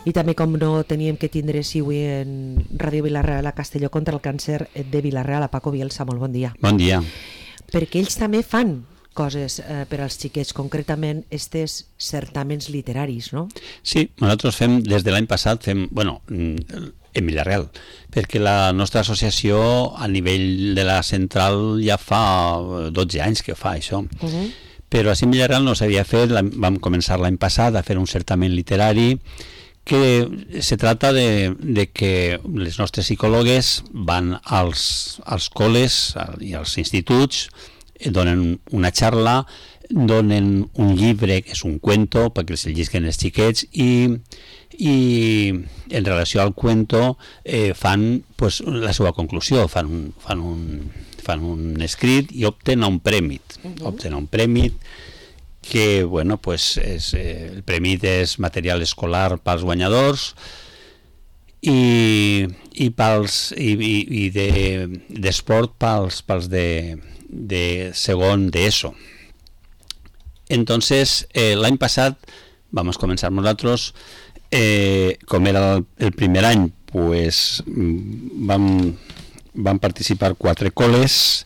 I també, com no teníem que tindre si avui en Ràdio Vila-real a Castelló contra el càncer de Vila-real, a Paco Bielsa, molt bon dia. Bon dia. Perquè ells també fan coses per als xiquets, concretament estes certàmens literaris, no? Sí, nosaltres fem, des de l'any passat, en Vila-real, perquè la nostra associació a nivell de la central ja fa 12 anys que fa això. Però a Vila-real no s'havia fet, vam començar l'any passat a fer un certamen literari que se trata de que les nostres psicòlogues van als col·les i als instituts, donen una xarla, donen un llibre que és un cuento perquè els llisquen els xiquets i en relació al cuento fan pues, la seva conclusió, fan un escrit i opten a un premi. Opten a un premi que, bueno, pues el premi és material escolar pels guanyadors i d'esport pels de segon d'ESO. Entonces, l'any passat vamos començar nosaltres, com era el primer any, pues van participar 4 col·les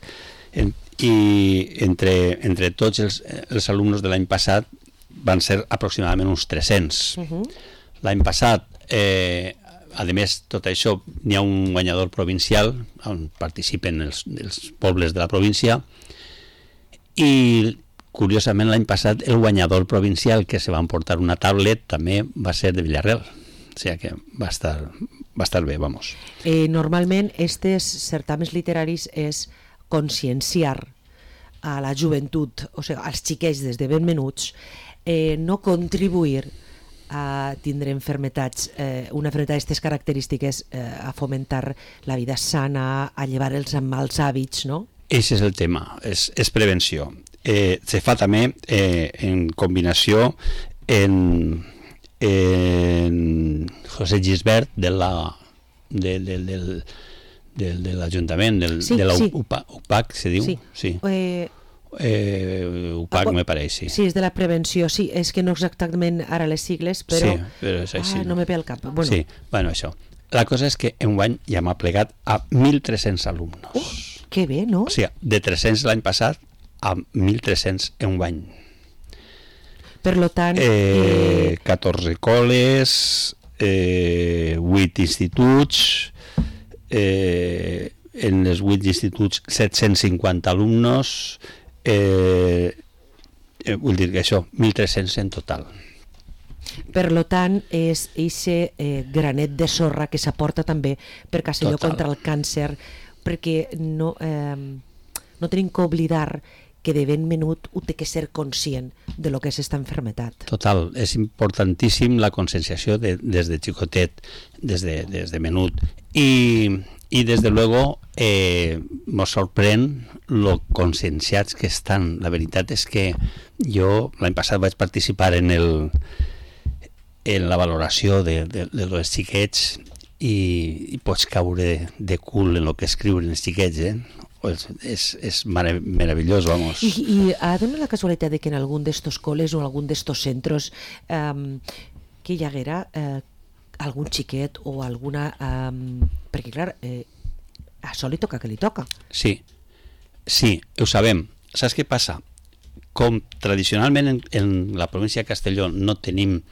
i entre tots els alumnes de l'any passat van ser aproximadament uns 300. L'any passat, a més, tot això, n'hi ha un guanyador provincial on participen els pobles de la província i, curiosament, l'any passat el guanyador provincial que se va emportar una tablet també va ser de Vila-real. O sigui que va estar bé, vamos. Normalment, estes certàmens literaris és conscienciar a la joventut, o sigui, als xiquets des de ben menuts, no contribuir a tindre enfermetats, una enfermetat d'aquestes característiques, a fomentar la vida sana, a llevar els mals hàbits, no? Ese és el tema, és prevenció. Se fa també en combinació en José Gisbert de l'Ajuntament, de la UPAC, se diu? Sí. UPAC, me pareix, sí. Sí, és de la prevenció, sí, és que no exactament ara les sigles, però... Sí, però és així. No me ve al cap. Bueno. Sí, bueno, això. La cosa és que enguany ja m'ha plegat a 1.300 alumnes. Que bé, no? O sigui, de 300 l'any passat a 1.300 enguany. Per lo tant... 14 col·les, 8 instituts, en els 8 instituts 750 alumnes, vull dir que això, 1.300 en total. Per lo tant, és eixe granet de sorra que s'aporta també per Castelló contra el càncer, perquè no tenim que oblidar que de ben menut ho té que ser conscient de lo que és esta enfermetat. Total, és importantíssim la conscienciació des de xicotet, des de menut. I desde luego nos sorprèn lo conscienciats que estan. La veritat és que jo l'any passat vaig participar en la valoració de los xiquets i pots caure de cul en lo que escriuen els xiquets, Pues és meravellós, vamos. I ha donat la casualitat de que en algun d'estos col·les o en algun d'estos centres que hi haguera algun xiquet o alguna... perquè, clar, a això li toca que li toca. Sí, ho sabem. Saps què passa? Com tradicionalment en la província de Castelló no tenim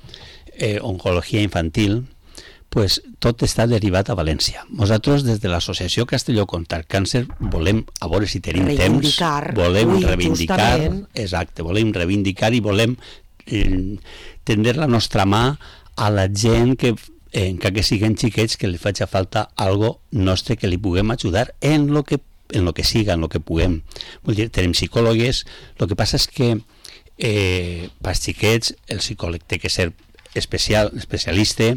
oncologia infantil, pues tot està derivat a València. Nosaltres, des de l'Associació Castelló contra el Càncer, volem, a veure si tenim temps, volem reivindicar, exacte, volem reivindicar i volem tendre la nostra mà a la gent que, encara que siguin xiquets, que li faci falta algo nostre que li puguem ajudar en lo que siga, en lo que puguem. Vull dir, tenim psicòlogues, el que passa és que pels xiquets el psicòleg té que ser especialista,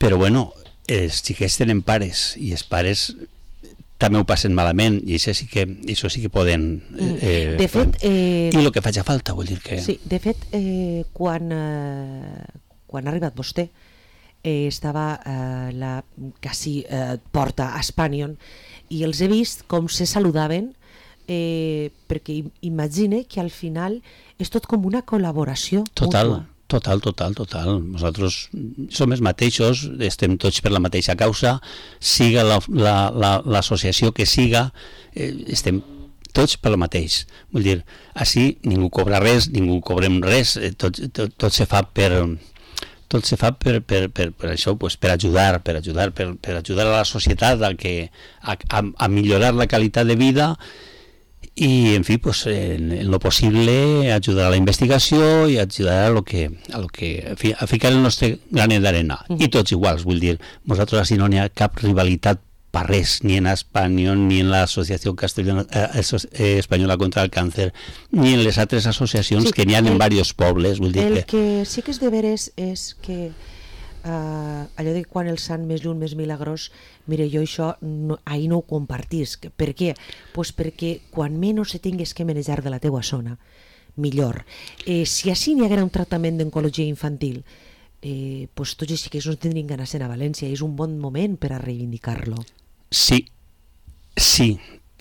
però bueno, els xiquets tenen pares i els pares també ho passen malament i això sí que poden de fet, i el que faci falta, vull dir que... Sí, de fet, quan ha arribat vostè estava la quasi porta a Espanyol i els he vist com se saludaven, perquè imagine que al final és tot com una col·laboració mútua. Total. Nosaltres som els mateixos, estem tots per la mateixa causa, siga l'associació que siga, estem tots per la mateix. Vull dir, així ningú cobra res, ningú cobrem res, tot se fa per això, pues, per ajudar a la societat a millorar la qualitat de vida i, en fi, pues, en lo possible ajudar a la investigació i ajudar a ficar el nostre granet d'arena. I tots iguals, vull dir, nosaltres així no n'hi ha cap rivalitat per res, ni en Espanyol, ni en l'Associació Espanyola contra el Càncer, ni en les altres associacions que n'hi ha en diversos pobles. Vull dir el que sí que és de veres és que allò de quan el sant més lluny, més milagrós, mire, jo això ahir no ho compartisc. Per què? Pues perquè quan menys se tingues que manejar de la teua zona, millor. Si així n'hi haguera un tractament d'oncologia infantil, pues tots els xiquets no tindrien ganes d'anar a València, és un bon moment per a reivindicar-lo. Sí,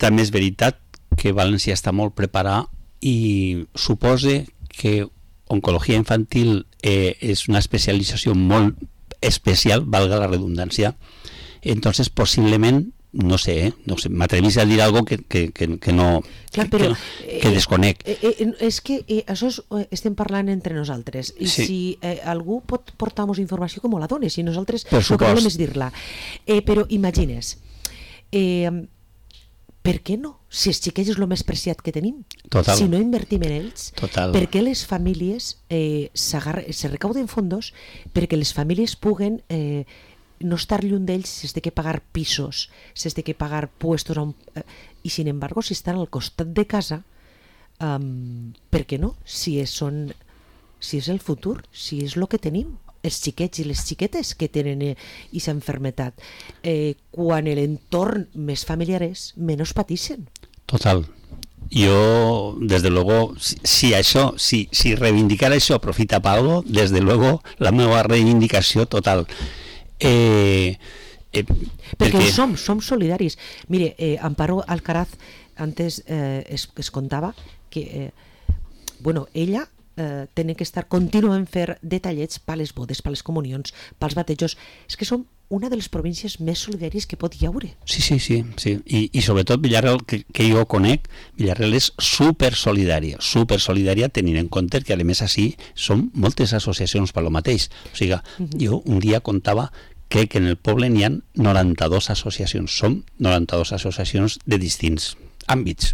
també és veritat que València està molt preparada i suposa que oncologia infantil és una especialització molt especial, valga la redundància. Entonces, posiblement, no sé, m'atrevís a dir algo que no, clar, però, que desconec. És que això estem parlant entre nosaltres, i sí. Si algú pot portar-nos informació, com la dones, i nosaltres el que volem és dir-la. Però imagines, per què no? Si els xiquets és el més preciat que tenim, total. Si no invertim en ells, total. Per què les famílies se recauden fondos perquè les famílies puguen no estar lluny d'ells si has de que pagar pisos, si has de que pagar puestos i sin embargo si estan al costat de casa, per què no? Si és el futur, si és el que tenim, els xiquets i les xiquetes que tenen aquesta malaltia, quan l'entorn més familiar és, menys pateixen. Total. Yo, desde luego, si reivindicar això aprofita para algo, desde luego la meva reivindicació total. Perquè som solidaris. Mire, Amparo Alcaraz antes es contava que ella tenen que estar contínuament fer detallets per les bodes, per les comunions, pels batejos. És que som una de les províncies més solidàries que pot hi haure. Sí. I sobretot Villarreal, que jo conec, Villarreal és supersolidària tenint en compte que a més així són moltes associacions per lo mateix. O sigui, jo un dia contava que en el poble n'hi ha 92 associacions. Som 92 associacions de distints àmbits.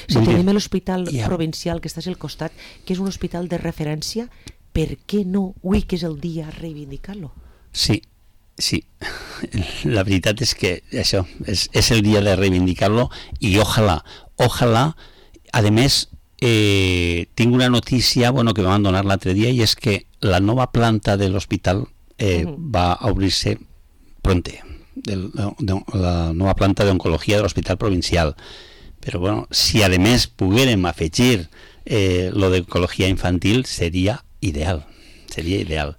Si tenim l'hospital provincial que està al costat, que és un hospital de referència, per què no? Avui que és el dia a reivindicar-lo. Sí. La veritat és que això és el dia de reivindicar-lo i ojalà, a més, tinc una notícia que m'han donat l'altre dia i és que la nova planta de l'hospital va a obrir-se pronte, la nova planta d'oncologia de l'hospital provincial. Però si a més poguérem afegir lo d'oncologia infantil seria ideal.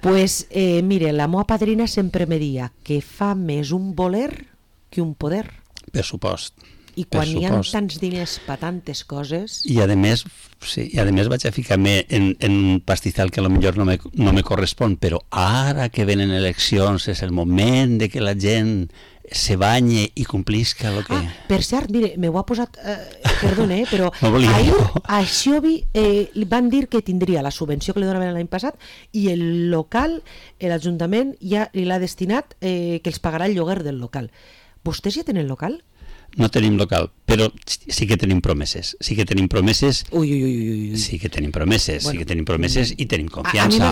Pues mire, la meva padrina sempre me dia que fa més un voler que un poder. Per supost. I quan hi ha tants diners per tantes coses... I a més vaig a ficar-me en un pastizal que potser no me correspon, però ara que venen eleccions és el moment de que la gent se banye i complisca el que... Per cert, mire, m'ho ha posat... perdona, però ahir a Xiobi van dir que tindria la subvenció que li donaven l'any passat i el local, l'Ajuntament ja l'ha destinat que els pagarà el lloguer del local. Vostès ja tenen local? No tenim local, però sí que tenim promeses. Sí que tenim promeses. Ui. Sí que tenim promeses, i tenim confiança.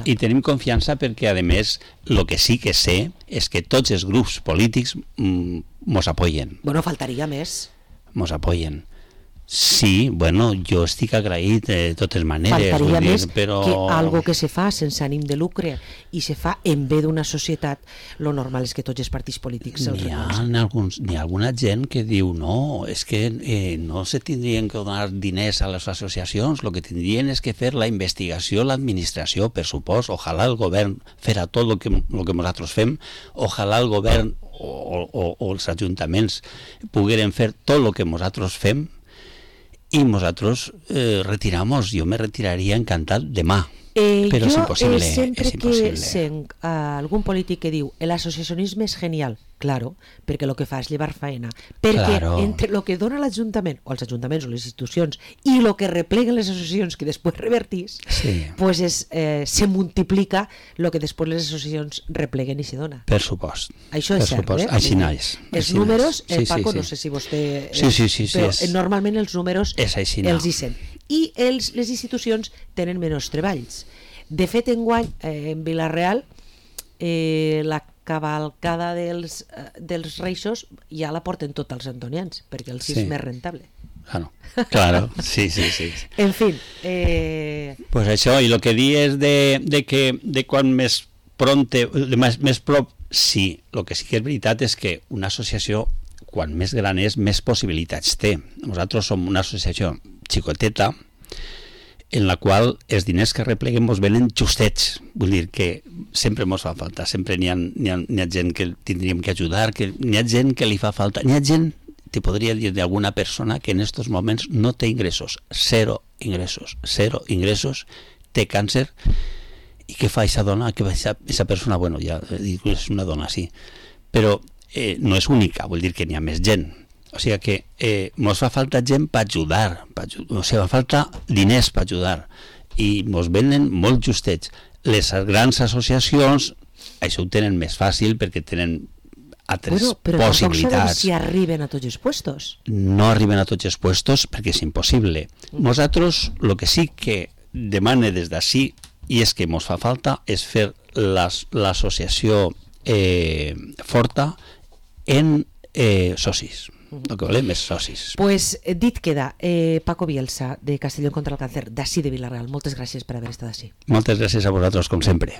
I tenim confiança perquè, a més, el que sí que sé és que tots els grups polítics mos apoyen. Faltaria més. Mos apoyen. Sí, jo estic agraït de totes maneres. Faltaria més però... que algo que se fa sense ànim de lucre i se fa en bé d'una societat, lo normal és que tots els partits polítics se'ls N'hi ha alguna gent que diu no, és que no se tindrien que donar diners a les associacions, el que tindrien és que fer la investigació, l'administració, per supost. Ojalà el govern fera tot el que nosaltres fem, ojalà el govern o els ajuntaments pogueren fer tot el que nosaltres fem. y nosotros retiramos. Yo me retiraría encantat demà. Però és impossible. Sempre que sent algun polític que diu l'associacionisme és genial, claro, perquè el que fa és llevar faena, perquè entre el que dona l'Ajuntament o els ajuntaments o les institucions i el que repleguen les associacions que després revertís, pues se multiplica el que després les associacions repleguen i se dona. Per supost. Això és cert, Així naix. Els números, Paco, no sé si vostè... però normalment els números els hi sent. I les institucions tenen menys treballs. De fet, enguany, en Vila-real, la cavalcada dels Reixos ja la porten tots els antonians, perquè els és més rentable. Claro, sí. En fin. Pues això, i el que di és de quan més prop, sí, el que sí que és veritat és que una associació, quan més gran és, més possibilitats té. Nosaltres som una associació xicoteta, en la qual els diners que repleguem ens venen justets, vull dir que sempre ens fa falta, sempre n'hi ha gent que tindríem que ajudar, que n'hi ha gent que li fa falta, n'hi ha gent, te podria dir d'alguna persona que en aquests moments no té ingressos, zero ingressos, té càncer, i què fa aquesta dona? Aquesta persona, bueno, ja dic, és una dona, sí, però no és única, vull dir que n'hi ha més gent. O sigui que ens fa falta gent per ajudar, o sigui, fa falta diners per ajudar, i ens venen molt justets. Les grans associacions això ho tenen més fàcil perquè tenen altres possibilitats. Però tampoc sabem si arriben a tots els puestos. No arriben a tots els puestos perquè és impossible. Nosaltres el que sí que demane des d'ací, i és que ens fa falta, és fer l'associació forta en socis. El que volem és socis. Pues dit queda, Paco Bielsa, de Castellón contra el Càncer, d'ací de Vila-real. Moltes gràcies per haver estat així. Moltes gràcies a vosaltres, com sempre.